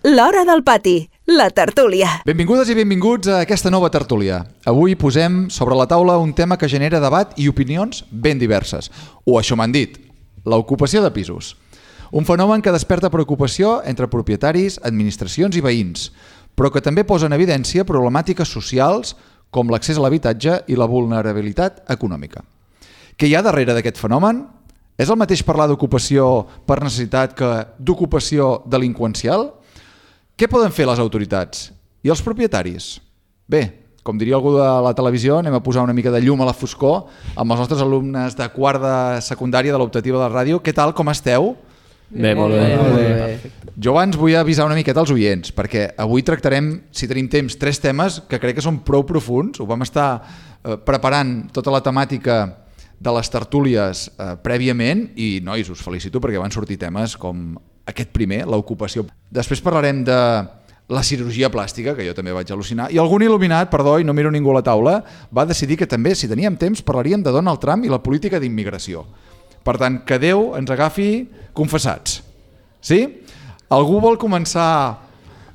L'Hora del Pati, la tertúlia. Benvingudes i benvinguts a aquesta nova tertúlia. Avui posem sobre la taula un tema que genera debat i opinions ben diverses. O això m'han dit, l'ocupació de pisos. Un fenomen que desperta preocupació entre propietaris, administracions i veïns, però que també posa en evidència problemàtiques socials com l'accés a l'habitatge i la vulnerabilitat econòmica. Què hi ha darrere d'aquest fenomen? És el mateix parlar d'ocupació per necessitat que d'ocupació delinqüencial? Què poden fer les autoritats? I els propietaris? Bé, com diria algú de la televisió, anem a posar una mica de llum a la foscor amb els nostres alumnes de quart de secundària de l'optativa de la ràdio. Què tal, com esteu? Bé, molt bé. Jo abans vull avisar una miqueta als oients, perquè avui tractarem, si tenim temps, 3 temes que crec que són prou profunds. Ho vam estar preparant tota la temàtica de les tertúlies prèviament i, nois, us felicito perquè van sortir temes com aquest primer, l'ocupació. Després parlarem de la cirurgia plàstica, que jo també vaig al·lucinar, i algun il·luminat, perdó, i no miro ningú a la taula, va decidir que també, si teníem temps, parlaríem de Donald Trump i la política d'immigració. Per tant, que Déu ens agafi confessats. Sí? Algú vol començar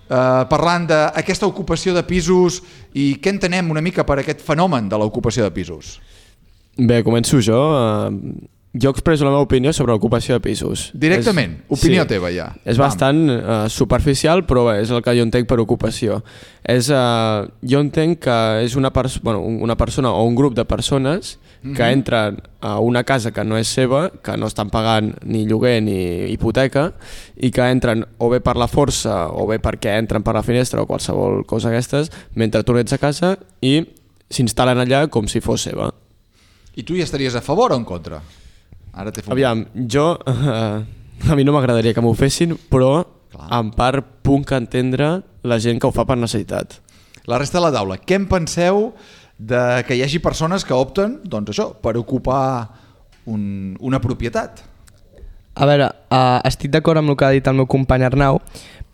parlant d'aquesta ocupació de pisos i què entenem una mica per aquest fenomen de l'ocupació de pisos? Bé, començo jo. Jo expresso la meva opinió sobre l'ocupació de pisos. Directament, opinió teva ja. És bastant superficial, però bé, és el que jo entenc per ocupació. Jo entenc que és una persona o un grup de persones que entren a una casa que no és seva, que no estan pagant ni lloguer ni hipoteca, i que entren o bé per la força o bé perquè entren per la finestra o qualsevol cosa d'aquestes, mentre tu no ets a casa, i s'instal·len allà com si fos seva. I tu hi estaries a favor o en contra? Ara t'he Aviam, jo a mi no m'agradaria que m'ho fessin, però en part puc entendre la gent que ho fa per necessitat. La resta de la taula, què en penseu de que hi hagi persones que opten, doncs això, per ocupar una propietat? A veure, estic d'acord amb el que ha dit el meu company Arnau,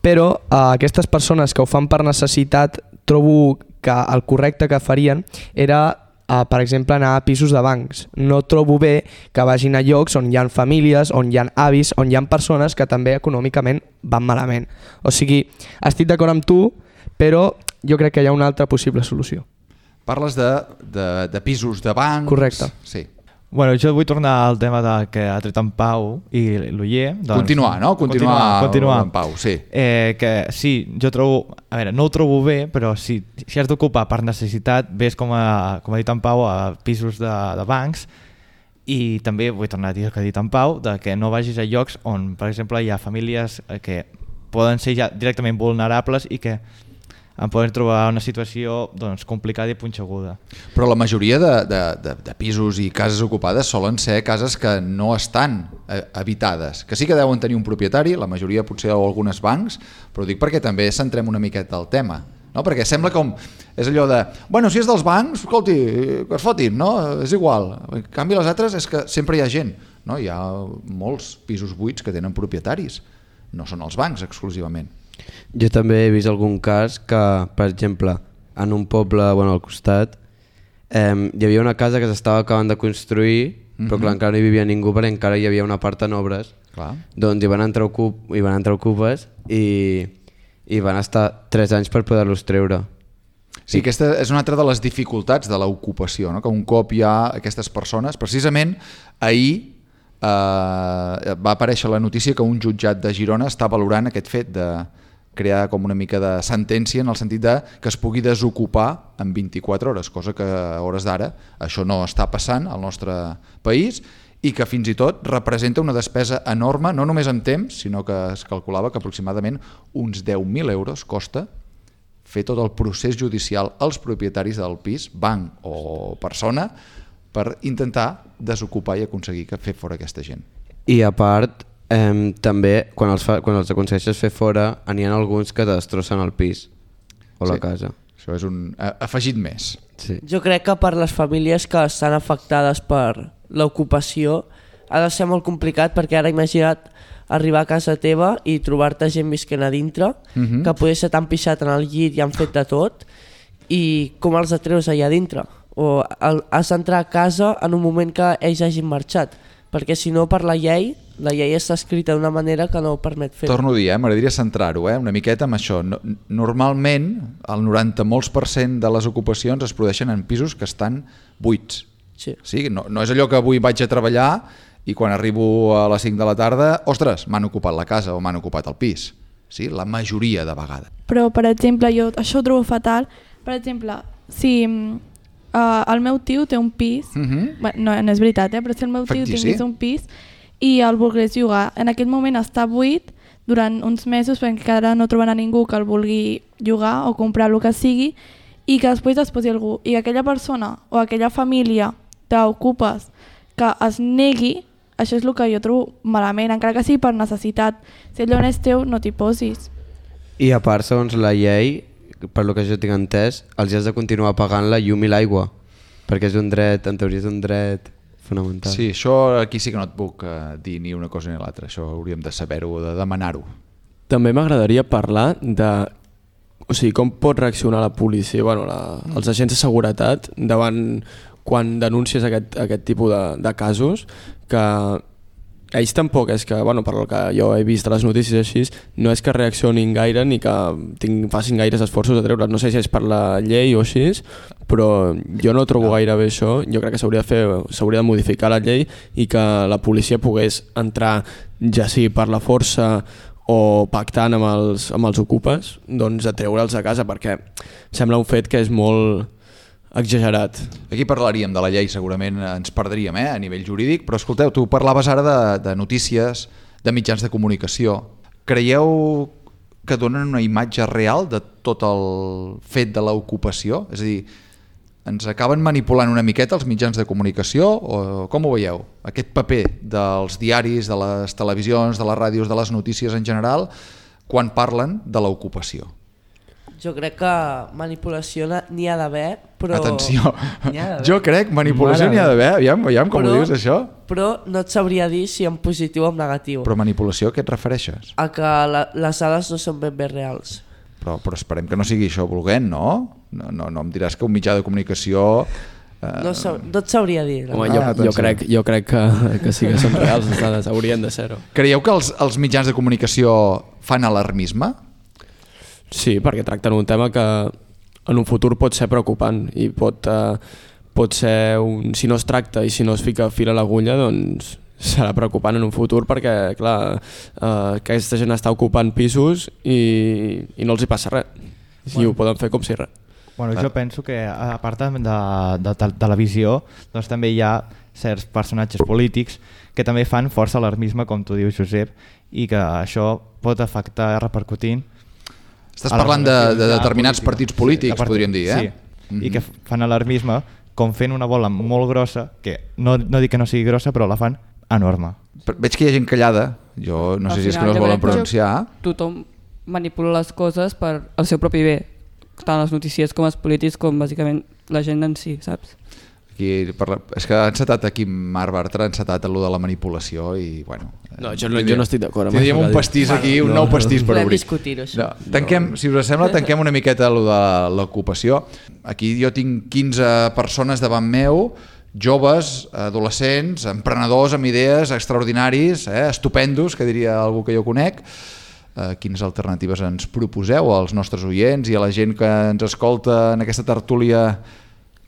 però aquestes persones que ho fan per necessitat trobo que el correcte que farien era per exemple, anar a pisos de bancs. No trobo bé que vagin a llocs on hi ha famílies, on hi ha avis, on hi ha persones que també econòmicament van malament. O sigui, estic d'acord amb tu, però jo crec que hi ha una altra possible solució. Parles de pisos de bancs... Correcte. Sí. Bueno, jo vull tornar al tema que ha tret en Pau i l'Oyer. Doncs, continuar, no? Continuar en Pau, sí. Que sí, jo trobo... A veure, no ho trobo bé, però si has d'ocupar per necessitat, ves com ha dit en Pau, a pisos de bancs, i també vull tornar a dir el que ha dit en Pau, de que no vagis a llocs on, per exemple, hi ha famílies que poden ser ja directament vulnerables i que en poden trobar una situació doncs, complicada i punxeguda. Però la majoria de pisos i cases ocupades solen ser cases que no estan habitades, que sí que deuen tenir un propietari, la majoria potser o algunes bancs, però dic perquè també centrem una miqueta al tema, no? Perquè sembla com, és allò de, bueno, si és dels bancs, escolti, que es fotin, no? És igual. En canvi les altres és que sempre hi ha gent, no? Hi ha molts pisos buits que tenen propietaris, no són els bancs exclusivament. Jo també he vist algun cas que, per exemple, en un poble al costat hi havia una casa que s'estava acabant de construir, però clar, encara no hi vivia ningú perquè encara hi havia una part en obres. Doncs hi van entrar ocupes i van estar 3 anys per poder-los treure. Sí, aquesta és una altra de les dificultats de l'ocupació, no? Que un cop hi ha aquestes persones, precisament ahir va aparèixer la notícia que un jutjat de Girona està valorant aquest fet de crear com una mica de sentència en el sentit de que es pugui desocupar en 24 hores, cosa que a hores d'ara això no està passant al nostre país i que fins i tot representa una despesa enorme, no només en temps, sinó que es calculava que aproximadament uns 10.000 euros costa fer tot el procés judicial als propietaris del pis, banc o persona, per intentar desocupar i aconseguir fer fora aquesta gent. I a part, també quan els aconsegueixes fer fora n'hi ha alguns que destrossen el pis o la casa. Això és un afegit més. Sí. Jo crec que per les famílies que estan afectades per l'ocupació ha de ser molt complicat, perquè ara imagina't arribar a casa teva i trobar-te gent visquent a dintre, que poder ser tan pixat en el llit i han fet de tot, i com els atreus allà dintre? O has d'entrar a casa en un moment que ells hagin marxat, perquè si no, per la llei la llei està escrita d'una manera que no ho permet fer. Torno a dir, m'agradaria centrar-ho una miqueta amb això. Normalment, el 90% de les ocupacions es produeixen en pisos que estan buits. Sí, no és allò que avui vaig a treballar i quan arribo a les 5 de la tarda, ostres, m'han ocupat la casa o m'han ocupat el pis. Sí, la majoria de vegades. Però, per exemple, jo això ho trobo fatal. Per exemple, si el meu tio té un pis, no és veritat, però si el meu tio tingués un pis i el volgués llogar, en aquest moment està buit durant uns mesos perquè encara no trobarà ningú que el vulgui llogar o comprar el que sigui i que després es posi algú i que aquella persona o aquella família t'ocupes que es negui, això és el que jo trobo malament, encara que sigui per necessitat. Si allò no és teu, no t'hi posis. I a part, segons la llei, per lo que jo tinc entès, els has de continuar pagant la llum i l'aigua, perquè és un dret, en teoria és un dret fonamental. Sí, això aquí sí que no et puc dir ni una cosa ni l'altra, això hauríem de saber-ho, de demanar-ho. També m'agradaria parlar de com pot reaccionar la policia, els agents de seguretat davant quan denuncies aquest tipus de casos, que ells tampoc és que, per el que jo he vist a les notícies així, no és que reaccionin gaire ni que facin gaires esforços de treure's. No sé si és per la llei o així, però jo no trobo gaire bé això. Jo crec que s'hauria de modificar la llei i que la policia pogués entrar, ja sigui per la força o pactant amb els ocupes, doncs a treure'ls a casa, perquè sembla un fet que és molt exagerat. Aquí parlaríem de la llei, segurament ens perdríem a nivell jurídic, però escolteu, tu parlaves ara de notícies, de mitjans de comunicació. Creieu que donen una imatge real de tot el fet de l'ocupació? És a dir, ens acaben manipulant una miqueta els mitjans de comunicació o com ho veieu? Aquest paper dels diaris, de les televisions, de les ràdios, de les notícies en general, quan parlen de l'ocupació? Jo crec que manipulació n'hi ha d'haver, però... Atenció, jo crec manipulació n'hi ha d'haver, aviam com ho dius això? Però no et sabria dir si en positiu o en negatiu. Però manipulació a què et refereixes? A que les dades no són ben bé reals. Però esperem que no sigui això volent, no? No em diràs que un mitjà de comunicació... No et sabria dir. Home, jo crec que sí que són reals, les dades haurien de ser-ho. Creieu que els mitjans de comunicació fan alarmisme? Sí, perquè tracten un tema que en un futur pot ser preocupant i pot ser, si no es tracta i si no es fica fil a l'agulla, doncs serà preocupant en un futur perquè, clar, aquesta gent està ocupant pisos i no els hi passa res. I ho poden fer com si res. Jo penso que a part de televisió doncs també hi ha certs personatges polítics que també fan força alarmisme, com tu dius, Josep, i que això pot afectar repercutint. Estàs parlant de determinats partits polítics, podríem dir, Sí, i que fan alarmisme com fent una bola molt grossa, que no dic que no sigui grossa, però la fan enorme. Veig que hi ha gent callada, jo no sé si és que no es volen pronunciar. Tothom manipula les coses per al seu propi bé, tant les notícies com els polítics com bàsicament la gent en si, saps? És que ha encetat aquí Marc Bartra, ha encetat allò de la manipulació i bueno... No, jo no estic d'acord. Tindríem un pastís aquí, un nou pastís per obrir. Podem discutir-ho, això. Si us sembla, tanquem una miqueta allò de l'ocupació. Aquí jo tinc 15 persones davant meu, joves, adolescents, emprenedors amb idees extraordinaris, estupendos, que diria algú que jo conec. Quines alternatives ens proposeu als nostres oients i a la gent que ens escolta en aquesta tertúlia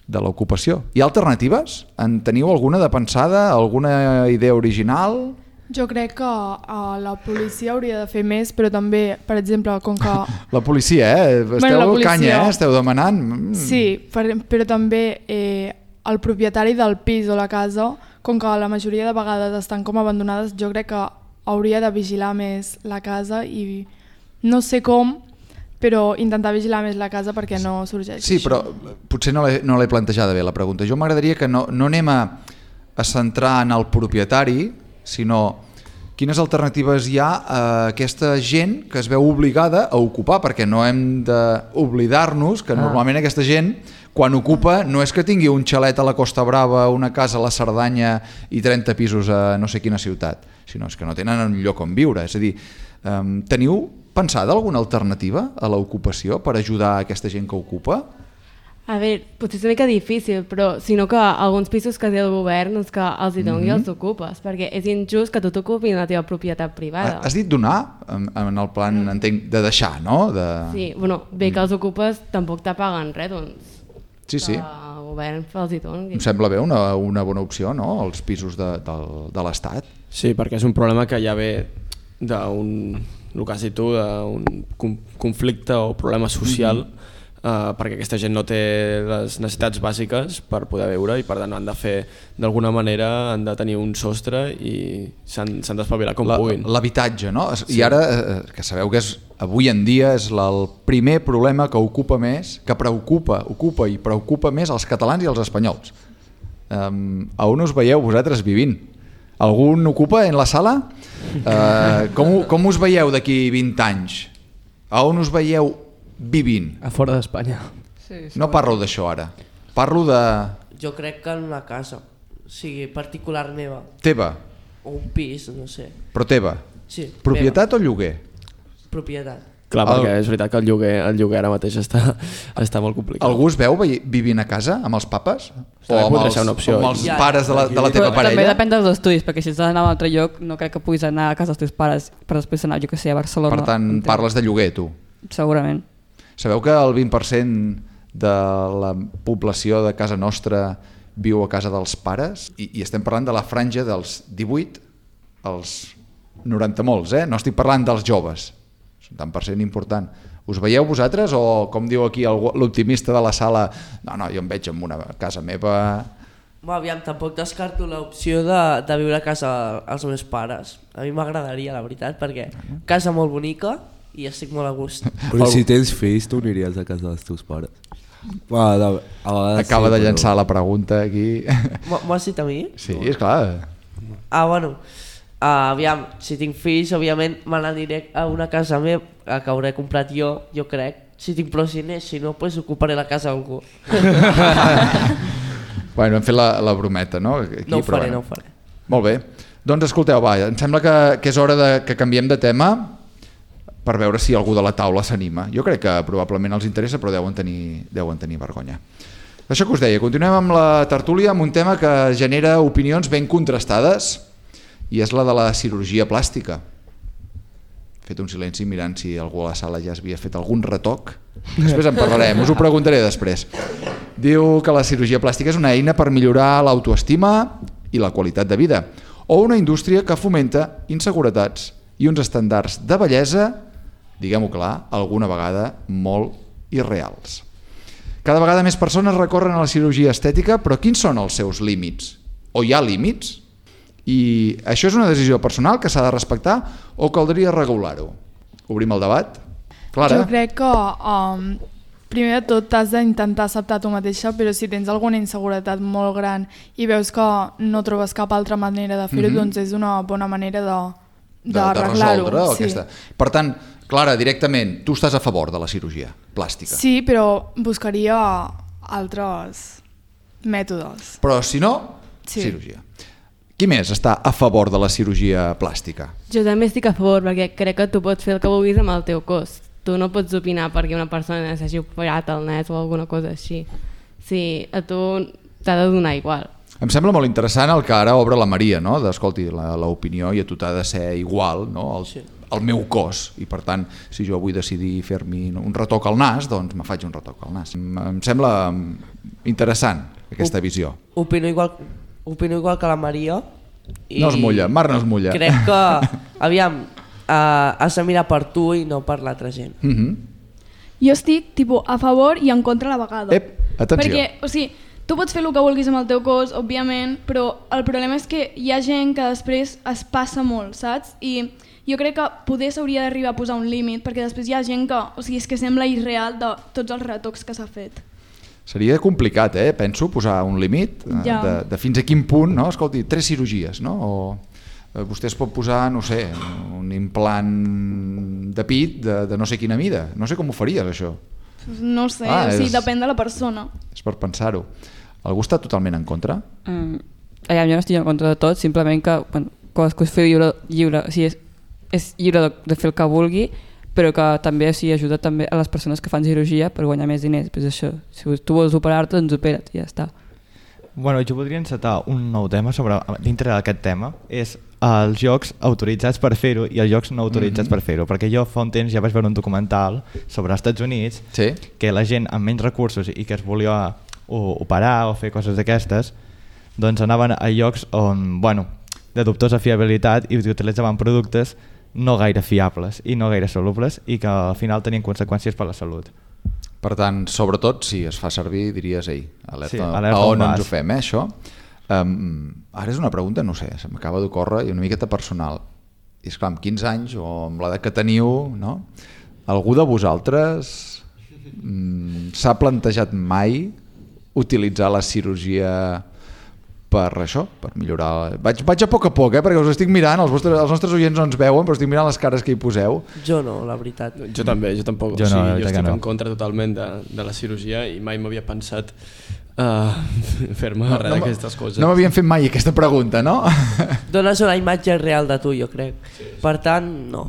de l'ocupació? Hi ha alternatives? En teniu alguna de pensada? Alguna idea original? Jo crec que la policia hauria de fer més, però també, per exemple, com que... La policia, Esteu canya, Esteu demanant... Sí, però també el propietari del pis o la casa, com que la majoria de vegades estan com abandonades, jo crec que hauria de vigilar més la casa i no sé com, però intentar vigilar més la casa perquè no sorgeixi. Sí, però potser no l'he plantejada bé la pregunta. Jo m'agradaria que no anem a centrar en el propietari, sinó quines alternatives hi ha a aquesta gent que es veu obligada a ocupar, perquè no hem d'oblidar-nos que normalment aquesta gent, quan ocupa, no és que tingui un xalet a la Costa Brava, una casa a la Cerdanya i 30 pisos a no sé quina ciutat, sinó és que no tenen un lloc on viure. És a dir, teniu pensada alguna alternativa a l'ocupació per ajudar a aquesta gent que ocupa? A veure, potser és una mica difícil, però sinó que alguns pisos que té el govern doncs que els hi doni els ocupes, perquè és injust que tu t'ocupis la teva propietat privada. Has dit donar, en el plan, entenc, de deixar, no? Sí, bueno, bé que els ocupes tampoc te paguen res, doncs sí. que el govern els hi doni. Em sembla bé una bona opció, no?, els pisos de l'Estat. Sí, perquè és un problema que ja ve d'un, el que has dit tu, d'un conflicte o problema social, perquè aquesta gent no té les necessitats bàsiques per poder viure i per tant han de fer d'alguna manera, han de tenir un sostre i s'han d'espavilar com puguin. L'habitatge, no? Sí. I ara, que sabeu que avui en dia és el primer problema que ocupa més els catalans i els espanyols. A on us veieu vosaltres vivint? Algun ocupa en la sala? Com us veieu d'aquí 20 anys? A on us veieu vivint? A fora d'Espanya. No parlo d'això ara. Parlo de... Jo crec que en una casa, o sigui, particular meva. Teva? O un pis, no sé. Però teva? Sí. Propietat o lloguer? Propietat. Clar, perquè és veritat que el lloguer ara mateix està molt complicat. Algú us veu vivint a casa amb els papes? O amb els pares de la teva parella? També depèn dels estudis, perquè si has d'anar a un altre lloc no crec que puguis anar a casa dels teus pares per després anar, jo que sé, a Barcelona. Per tant, parles de lloguer, tu? Segurament. Sabeu que el 20% de la població de casa nostra viu a casa dels pares? I estem parlant de la franja dels 18 als 90 molts, eh? No estic parlant dels joves. És un tant per cent important. Us veieu vosaltres o, com diu aquí l'optimista de la sala, no, jo em veig en una casa meva... Aviam, tampoc descarto l'opció de viure a casa als meus pares. A mi m'agradaria, la veritat, perquè casa molt bonica i estic molt a gust. Però si tens fills, tu aniries a casa dels teus pares? Acaba de llançar la pregunta aquí. M'ho has dit a mi? Sí, esclar. Bueno, aviam, si tinc fills, òbviament me n'aniré a una casa meva que hauré comprat jo crec. Si tinc prou diners, si no, pues ocuparé la casa d'algú. Bueno, hem fet la brometa, no? Aquí, no ho faré. Molt bé. Doncs escolteu, em sembla que és hora que canviem de tema per veure si algú de la taula s'anima. Jo crec que probablement els interessa, però deuen tenir vergonya. Això que us deia, continuem amb la tertúlia amb un tema que genera opinions ben contrastades i és la de la cirurgia plàstica. He fet un silenci mirant si algú a la sala ja havia fet algun retoc. Després en parlarem, us ho preguntaré després. Diu que la cirurgia plàstica és una eina per millorar l'autoestima i la qualitat de vida, o una indústria que fomenta inseguretats i uns estàndards de bellesa, diguem-ho clar, alguna vegada molt irreals. Cada vegada més persones recorren a la cirurgia estètica, però quins són els seus límits? O hi ha límits? I això és una decisió personal que s'ha de respectar o caldria regular-ho? Obrim el debat? Clara? Jo crec que primer de tot t'has d'intentar acceptar tu mateixa, però si tens alguna inseguretat molt gran i veus que no trobes cap altra manera de fer-ho, doncs és una bona manera d'arreglar-ho. Aquesta. Per tant, Clara, directament, tu estàs a favor de la cirurgia plàstica? Sí, però buscaria altres mètodes. Però si no, cirurgia. Qui més està a favor de la cirurgia plàstica? Jo també estic a favor, perquè crec que tu pots fer el que vulguis amb el teu cos. Tu no pots opinar perquè una persona s'hagi operat el nas o alguna cosa així. Sí, a tu t'ha de donar igual. Em sembla molt interessant el que ara obre la Maria, no? D'escolti, l'opinió i a tu t'ha de ser igual, no? El meu cos, i per tant, si jo vull decidir fer-me un retoc al nas, doncs me faig un retoc al nas. Em sembla interessant aquesta visió. Opino igual que la Maria. No es mulla, Mar no es mulla. Crec que, aviam, has de mirar per tu i no per l'altra gent. Jo estic a favor i en contra a la vegada. Atenció. Perquè, o sigui, tu pots fer el que vulguis amb el teu cos, òbviament, però el problema és que hi ha gent que després es passa molt, saps? I jo crec que poder s'hauria d'arribar a posar un límit, perquè després hi ha gent que, o sigui, és que sembla irreal de tots els retocs que s'ha fet. Seria complicat, penso, posar un límit de fins a quin punt, no? Escolti, 3 cirurgies, no? O vostè es pot posar, no sé, un implant de pit de no sé quina mida. No sé com ho faries, això. No sé, o sigui, depèn de la persona. És per pensar-ho. Algú està totalment en contra? Jo no estic en contra de tot, simplement que cadascú és lliure, o sigui, és lliure de fer el que vulgui, però que també ajuda també a les persones que fan cirurgia per guanyar més diners. Pues això, si tu vols operar-te, doncs opera't i ja està. Bueno, jo podria encetar un nou tema dintre d'aquest tema, és els jocs autoritzats per fer-ho i els jocs no autoritzats per fer-ho, perquè jo fa un temps ja vaig veure un documental sobre els Estats Units que la gent amb menys recursos i que es volia operar o fer coses d'aquestes, doncs anaven a llocs on, de dubtosa fiabilitat i utilitzaven productes no gaire fiables i no gaire solubles i que al final tenien conseqüències per la salut. Per tant, sobretot, si es fa servir, diries, alerta alerta on ens ho fem, això? Ara és una pregunta, no sé, se m'acaba d'ocórrer i una miqueta personal. I esclar, amb 15 anys o amb l'edat que teniu, no? Algú de vosaltres s'ha plantejat mai utilitzar la cirurgia per això, per millorar... Vaig a poc, perquè us estic mirant, els nostres oients no ens veuen, però estic mirant les cares que hi poseu. Jo no, la veritat. Jo també, jo tampoc. Jo estic en contra totalment de la cirurgia i mai m'havia pensat fer-me res d'aquestes coses. No m'havien fet mai aquesta pregunta, no? Dones una imatge real de tu, jo crec. Per tant, no.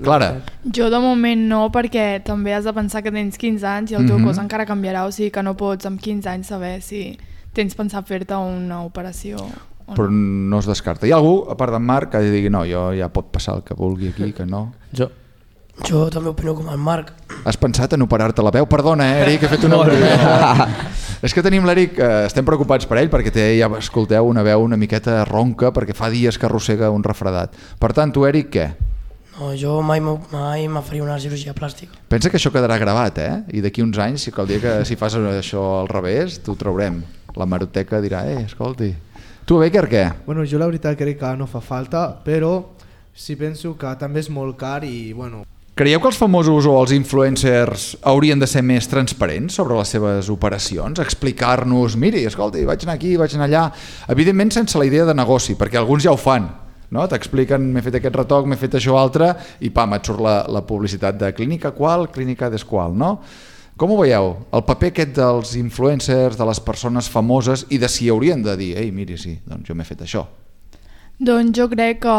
Clara. Jo de moment no, perquè també has de pensar que tens 15 anys i el teu cos encara canviarà, o sigui que no pots amb 15 anys saber si tens pensat fer-te una operació o però no es descarta. Hi ha algú, a part d'en Marc, que digui no, ja pot passar el que vulgui aquí, que no? Jo també opino com el Marc. Has pensat en operar-te la veu? Perdona, Eric, he fet una brometa. És que tenim l'Eric, estem preocupats per ell perquè té, ja escolteu, una veu una miqueta ronca perquè fa dies que arrossega un refredat. Per tant, tu, Eric, què? No, jo mai me faria una cirurgia plàstica. Pensa que això quedarà gravat, I d'aquí uns anys, el dia que si fas això al revés, t'ho traurem. La maroteca dirà, escolti. Tu, Becker, què? Bueno, jo la veritat crec que no fa falta, però sí penso que també és molt car i, bueno... Creieu que els famosos o els influencers haurien de ser més transparents sobre les seves operacions? Explicar-nos, miri, escolti, vaig anar aquí, vaig anar allà... Evidentment sense la idea de negoci, perquè alguns ja ho fan. No? T'expliquen, m'he fet aquest retoc, m'he fet això altre, i pam, et surt la publicitat de clínica qual, clínica desqual, no? Com ho veieu? El paper aquest dels influencers, de les persones famoses, i de si haurien de dir, ei, miri, sí, doncs jo m'he fet això. Doncs jo crec que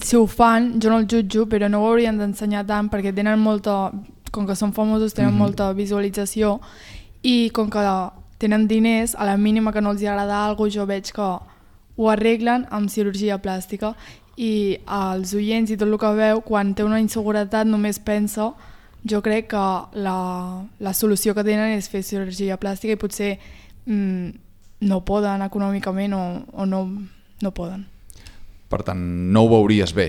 si ho fan, jo no el jutjo, però no ho haurien d'ensenyar tant perquè tenen molta, com que són famosos, tenen molta visualització i com que tenen diners, a la mínima que no els agrada alguna cosa, jo veig que ho arreglen amb cirurgia plàstica i els oients i tot el que veu, quan té una inseguretat només pensa, jo crec que la solució que tenen és fer cirurgia plàstica i potser no poden econòmicament o no poden. Per tant, no ho veuries bé.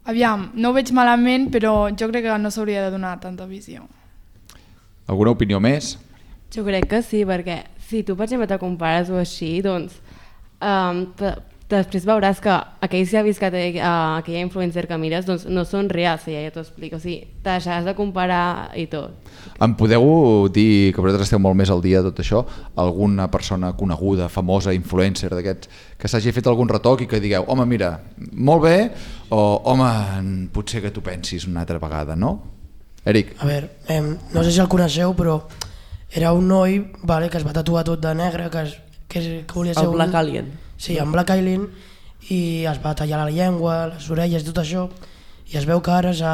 Aviam, no ho veig malament, però jo crec que no s'hauria de donar tanta visió. Alguna opinió més? Jo crec que sí, perquè si tu, per exemple, te compares o així, doncs després veuràs que aquells que ha vist que té aquella influencer que mires doncs no són reals, ja t'ho explico, o sigui, te deixaràs de comparar i tot. Em podeu dir, que vosaltres esteu molt més al dia de tot això, alguna persona coneguda, famosa, influencer d'aquests, que s'hagi fet algun retoc i que digueu, home, mira, molt bé, o home, potser que t'ho pensis una altra vegada, no? Eric. A veure, no sé si el coneixeu, però era un noi que es va tatuar tot de negre, que volia ser el Black Alien. Sí, en Black Alien, i es va tallar la llengua, les orelles i tot això, i es veu que ara s'ha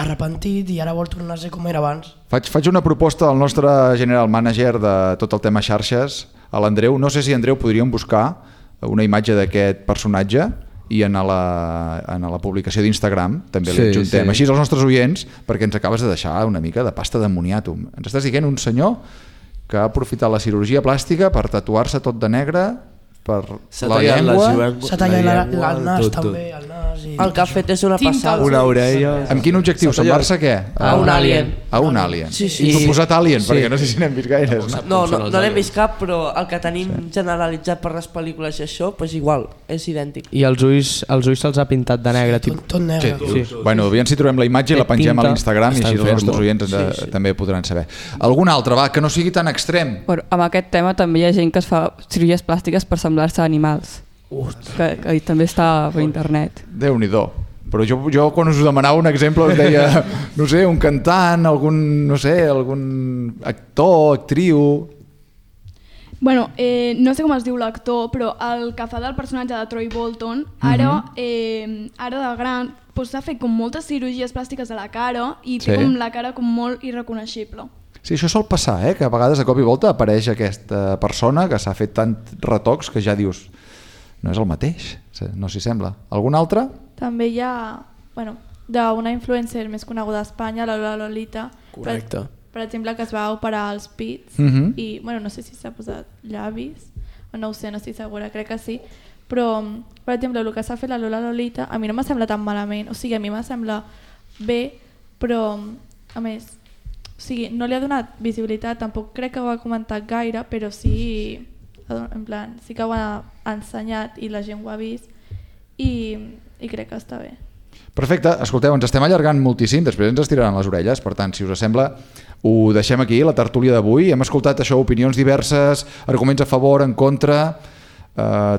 arrepentit i ara vol tornar a ser com era abans. Faig una proposta al nostre general manager de tot el tema xarxes, a l'Andreu. No sé si, Andreu, podríem buscar una imatge d'aquest personatge i en la publicació d'Instagram també li adjuntem. Així els nostres oients, perquè ens acabes de deixar una mica de pasta d'ammoniàtum. Ens estàs dient un senyor que ha aprofitat la cirurgia plàstica per tatuar-se tot de negre, per la llengua... S'ha tallat el nas també, el nas... El que ha fet és una passada. Una orella... Amb quin objectiu? Semblar-se què? A un alien. A un alien. Sí. T'ho posat alien, perquè no sé si n'hem vist gaires. No n'hem vist cap, però el que tenim generalitzat per les pel·lícules i això, doncs igual, és idèntic. I els ulls se'ls ha pintat de negre. Tot negre. Sí. Bueno, aviam si trobem la imatge i la pengem a l'Instagram i així els nostres oients també podran saber. Algun altre, que no sigui tan extrem. Amb aquest tema també hi ha gent que es fa cirurgies plàstiques per semblar-se a animals. Que també està per internet. Déu-n'hi-do. Però jo quan us demanava un exemple us deia, no sé, un cantant, algun actor, actriu... Bueno, no sé com es diu l'actor, però el que fa del personatge de Troy Bolton, ara de gran, s'ha fet com moltes cirurgies plàstiques a la cara i té com la cara com molt irreconeixible. Sí, això sol passar, que a vegades de cop i volta apareix aquesta persona que s'ha fet tant retocs que ja dius no és el mateix, no s'hi sembla. Algun altre? També hi ha, d'una influencer més coneguda a Espanya, la Lola Lolita. Correcte. Per exemple, que es va operar els pits i, no sé si s'ha posat llavis, o no ho sé, no estic segura, crec que sí, però, per exemple, el que s'ha fet la Lola Lolita, a mi no me sembla tan malament, o sigui, a mi me sembla bé, però, a més, o sigui, no li ha donat visibilitat, tampoc crec que ho ha comentat gaire, però sí, en plan, sí que ho ha ensenyat i la gent ho ha vist i crec que està bé. Perfecte, escolteu, ens estem allargant moltíssim, després ens estiraran les orelles, per tant, si us sembla, ho deixem aquí, la tertúlia d'avui. Hem escoltat això, opinions diverses, arguments a favor, en contra,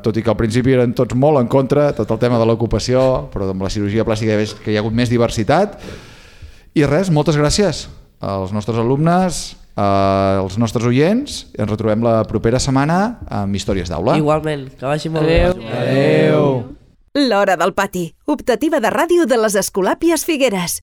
tot i que al principi eren tots molt en contra, tot el tema de l'ocupació, però amb la cirurgia plàstica que hi ha hagut més diversitat. I res, moltes gràcies als nostres alumnes, als nostres oients, i ens retrobem la propera setmana amb Històries d'Aula. Igualment, que vagi molt bé. Adéu. L'Hora del Pati, optativa de ràdio de les Escolàpies Figueres.